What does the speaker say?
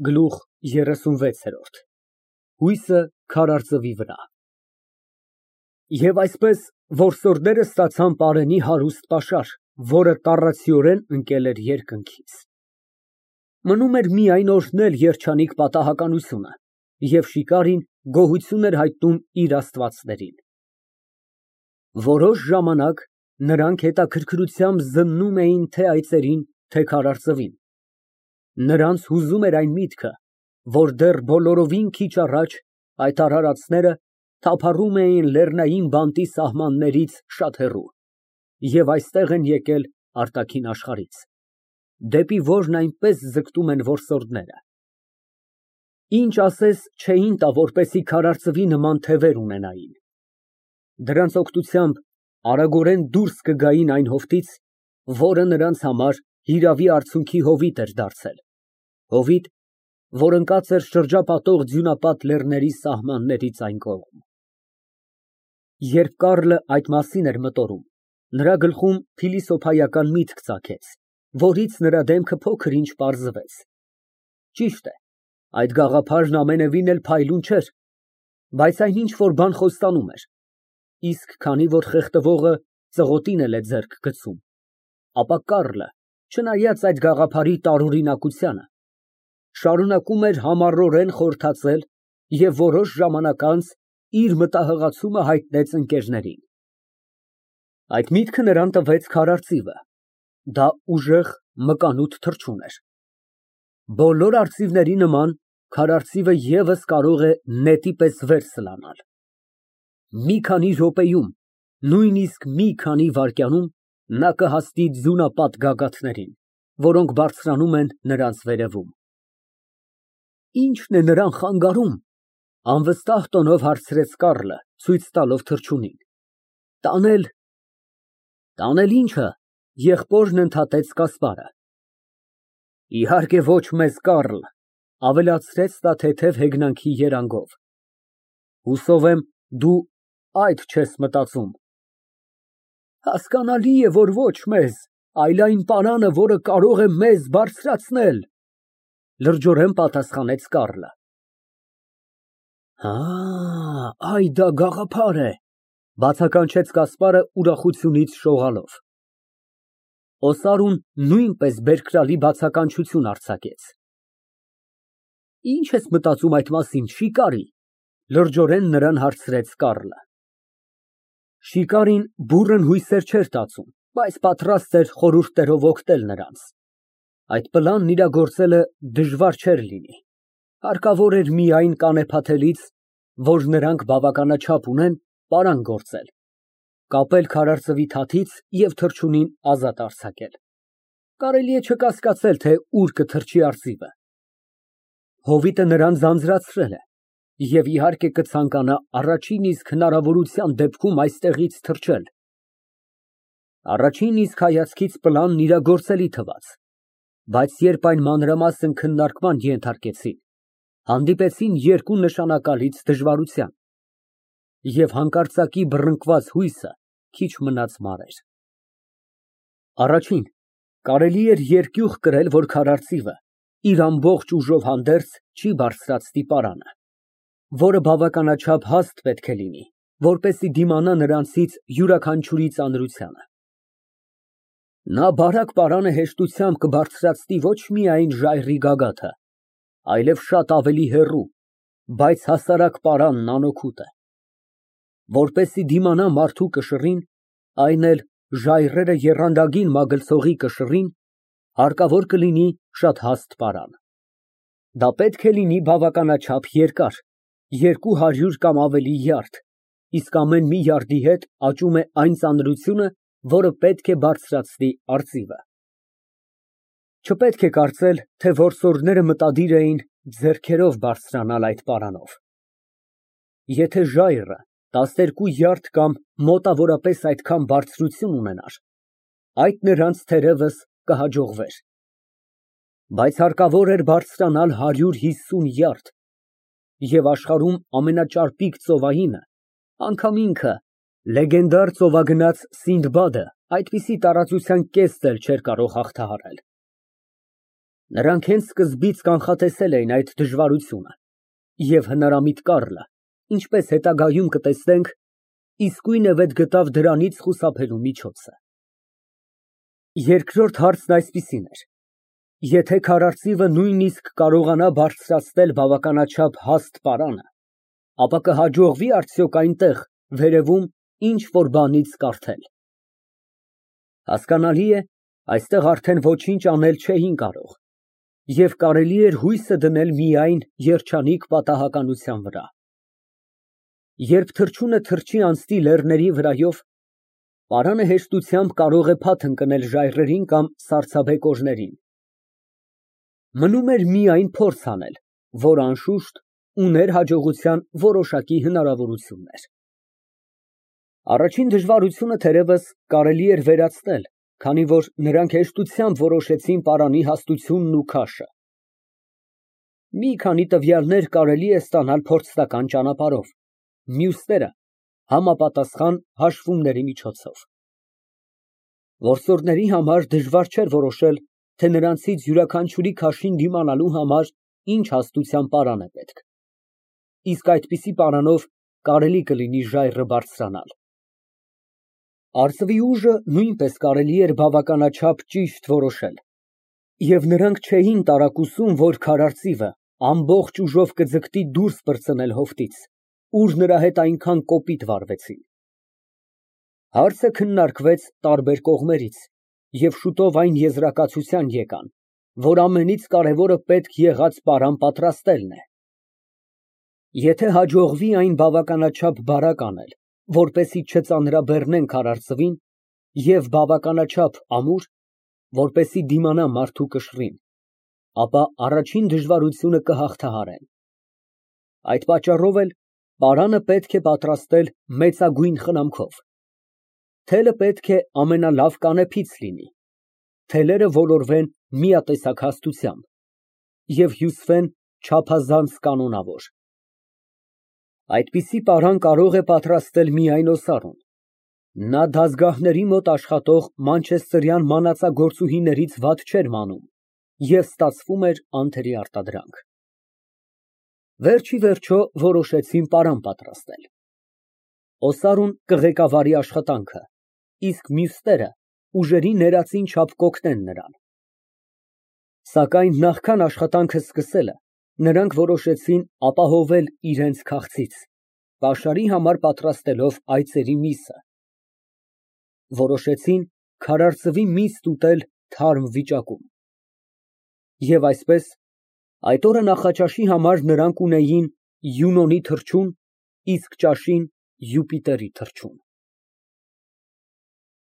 Գլուխ 36 Հույսը քարարծվի վրա։ Եվ այսպես որսորդները ստացան պարենի հարուստ պաշար, որը տառացիորեն ընկել էր երկնքից։ Մնում էր միայն օրհնել երջանիկ պատահականությունը, և շիկարին գոհություն էր հայտնում իր աստվածներին։ Որոշ ժամանակ նրանք հետաքրքրությամբ զննում էին թե այծերին, թե քարարծվին։ Նրանց հուզում էր այն միտքը, որ դեռ բոլորովին քիչ առաջ այդ արարածները թափառում էին լեռնային բանտի սահմաններից շատ հեռու և այստեղ են եկել արտաքին աշխարհից, դեպի որն այնպես ձգտում են որսորդները։ Ինչ ասես չէին տա, որպեսզի քարարծվի նման թևեր ունենային։ Դրանց օգնությամբ արագորեն դուրս կգային այն հովտից, որը նրանց համար հիրավի արցունքի հովիտ էր դարձել, հովիտ, որ ընկած էր շրջապատող ձյունապատ լեռների սահմաններից այն կողմ։ Երբ Կառլը այդ մասին էր մտորում, նրա գլխում փիլիսոփայական միտք ծագեց, որից նրա դեմքը փոքր-ինչ պարզվեց։ Ճիշտ է, այդ գաղափարն ամենևին էլ փայլուն չէր, բայց այն ինչ֊որ բան խոստանում էր, իսկ քանի որ խեղդվողը ծղոտին էլ է ձեռք գցում, ապա Կառլը, չնայած այդ գաղափարի տարօրինակությանը, շարունակում էր համառորեն խորհրդածել և որոշ ժամանակ անց իր մտահղացումը հայտնեց ընկերներին։ Այդ միտքը նրան տվեց քարարծիվը, դա ուժեղ, մկանուտ թռչուն էր։ Բոլոր արծիվների նման քարարծիվը ևս կարող է նետի պես վեր սլանալ։ Մի քանի րոպեում, նույնիսկ մի քանի վայրկյանում նա կհասնի ձյունապատ գագաթներին, որոնք բարձրանում են նրանց վերևում։ Ի՞նչն է նրան խանգարում, անվստահ տոնով հարցրեց Կառլը, ցույց տալով թռչունին։ Տանել ի՞նչը, եղբորն ընդհատեց Կասպարը։ Իհարկե ոչ մեզ, Կառլ, ավելացրեց նա թեթև հեգնանքի երանգով։ Հուսով եմ, դու այդ չես մտածում։ Հասկանալի է, որ ոչ մեզ, այլ այն պարանը, որը կարող է մեզ բարձրացնել, լրջորեն պատասխանեց Կառլը։ Այ դա գաղափար է, բացականչեց Կասպարը ուրախությունից շողալով։ Օսարուն նույնպես բերկրալի բացականչություն արձակեց։ Ինչ ես մտածում այդ մասին, շիկարի, լրջորեն նրան հարցրեց Կառլը։ Շիկարին բուռն հույսեր չէր տածում, բայց պատրաստ էր խորհուրդներով օգնել նրանց։ Այդ պլանն իրագործելը դժվար չէր լինի, հարկավոր էր միայն կանեփաթելից, որ նրանք բավականաչափ ունեն, պարան գործել, կապել քարարծվի թաթից և թռչունին ազատ արձակել։ Կարելի է չկասկածել, թե ուր կթռչի արծիվը։ Հովիտը նրան ձանձրացրել է և իհարկե կցանկանա առաջին իսկ հնարավորության դեպքում այստեղից թռչել։ Առաջին իսկ հայացքից պլանն իրագործելի թվաց, բայց երբ այն մանրամասն քննարկման ենթարկեցին, հանդիպեցին երկու նշանակալից դժվարության, և հանկարծակի բռնկված հույսը քիչ մնաց մարեր։ Առաջին, կարելի էր երկյուղ կրել, որ քարարծիվը իր ամբողջ ուժով հանդերձ չի բարձրացնի պարանը, որը բավականաչափ հաստ պետք է լինի, որպեսզի դիմանա նրանցից յուրաքանչյուրի ծանրությանը։ Նա բարակ պարանը հեշտությամբ կբարձրացնի ոչ միայն ժայռի գագաթը, այլև շատ ավելի հեռու, բայց հասարակ պարանն անօգուտ է։ Որպեսզի դիմանա մարդու կշռին, այն էլ ժայռերը եռանդագին մագլցողի կշռին, հարկավոր կլինի շատ հաստ պարան։ Դա պետք է լինի բավականաչափ երկար, 200 կամ ավելի յարդ, իսկ ամեն մի յարդի հետ աճում է այն ծանրությունը, որը պետք է բարձրացնի արծիվը։ Չպետք է կարծել, թե որսորդները մտադիր էին ձեռքերով բարձրանալ այդ պարանով։ Եթե ժայռը 12 յարդ կամ մոտավորապես այդքան բարձրություն ունենար, այդ նրանց թերևս կհաջողվեր։ Բայց հարկավոր էր բարձրանալ 150 յարդ, և աշխարհում ամենաճարպիկ ծովայինը, անգամ ինքը, լեգենդար ծովագնաց Սինդբադը այդպիսի տարածության կեսն էլ չէր կարող հաղթահարել։ Նրանք հենց սկզբից կանխատեսել էին այդ դժվարությունը, և հնարամիտ Կառլը, ինչպես հետագայում կտեսնենք, իսկույնևեթ գտավ դրանից խուսափելու միջոցը։ Երկրորդ հարցն այսպիսին էր. եթե քարարծիվը նույնիսկ կարողանա բարձրացնել բավականաչափ հաստ պարանը, ապա կհաջողվի՞ արդյոք այնտեղ, վերևում, ինչ֊որ բանից կարդել։ Հասկանալի է, այստեղ արդեն ոչինչ անել չէին կարող, և կարելի էր հույսը դնել միայն երջանիկ պատահականության վրա։ Երբ թռչունը թռչի անցնի լեռների վրայով, պարանը հեշտությամբ կարող է փաթ ընկնել ժայռերին կամ սառցաբեկորներին։ Մնում էր միայն փորձ անել, որ, անշուշտ, ուներ հաջողության որոշակի հնարավորություններ։ Առաջին դժվարությունը, թերևս, կարելի էր վերացնել, քանի որ նրանք հեշտությամբ որոշեցին պարանի հաստությունն ու քաշը։ Մի քանի տվյալներ կարելի է ստանալ փորձնական ճանապարհով, մյուսները համապատասխան հաշվումների միջոցով։ Որսորդների համար դժվար չէր որոշել, թե նրանցից յուրաքանչյուրի քաշին դիմանալու համար ինչ հաստության պարան է պետք, իսկ այդպիսի պարանով կարելի կլինի ժայռը բարձրանալ։ Արծվի ուժը նույնպես կարելի էր բավականաչափ ճիշտ որոշել, և նրանք չէին տարակուսում, որ քարարծիվը ամբողջ ուժով կձգտի դուրս պրծնել հովտից, ուր նրա հետ այնքան կոպիտ վարվեցին։ Հարցը քննարկվեց տարբեր կողմերից, և շուտով այն եզրակացության եկան, որ ամենից կարևորը պետք եղած պարան պատրաստելն է։ Եթե հաջողվի այն բավականաչափ բարակ անել, որպեսզի չծանրաբեռնեն քարարծվին, և բավականաչափ ամուր, որպեսզի դիմանա մարդու կշռին, ապա առաջին դժվարությունը կհաղթահարեն։ Այդ պատճառով էլ պարանը պետք է պատրաստել մեծագույն խնամքով։ Թելը պետք է ամենալավ կանեփից լինի, թելերը ոլորվեն միատեսակ հաստությամբ և հյուսվեն չափազանց կանոնավոր։ Այդպիսի պարան կարող է պատրաստել միայն օսարուն։ Նա դազգահների մոտ աշխատող մանչեսթերյան մանածագործուհիներից վատ չէր մանում և ստացվում էր անթերի արտադրանք։ Վերջ ի վերջո որոշեցին պարան պատրաստել։ Օսարուն կղեկավարի աշխատանքը, իսկ մյուսները ուժերի ներածին չափ կօգնեն նրան։ Սակայն նախքան աշխատանքը սկսելը, նրանք որոշեցին ապահովել իրենց քաղցից, պաշարի համար պատրաստելով այծերի միսը։ Որոշեցին քարարծվի միս ուտել թարմ վիճակում։ Եվ այսպես, այդ օրը նախաճաշի համար նրանք ունեին Յունոնի թռչուն, իսկ ճաշին Յուպիտերի թռչուն։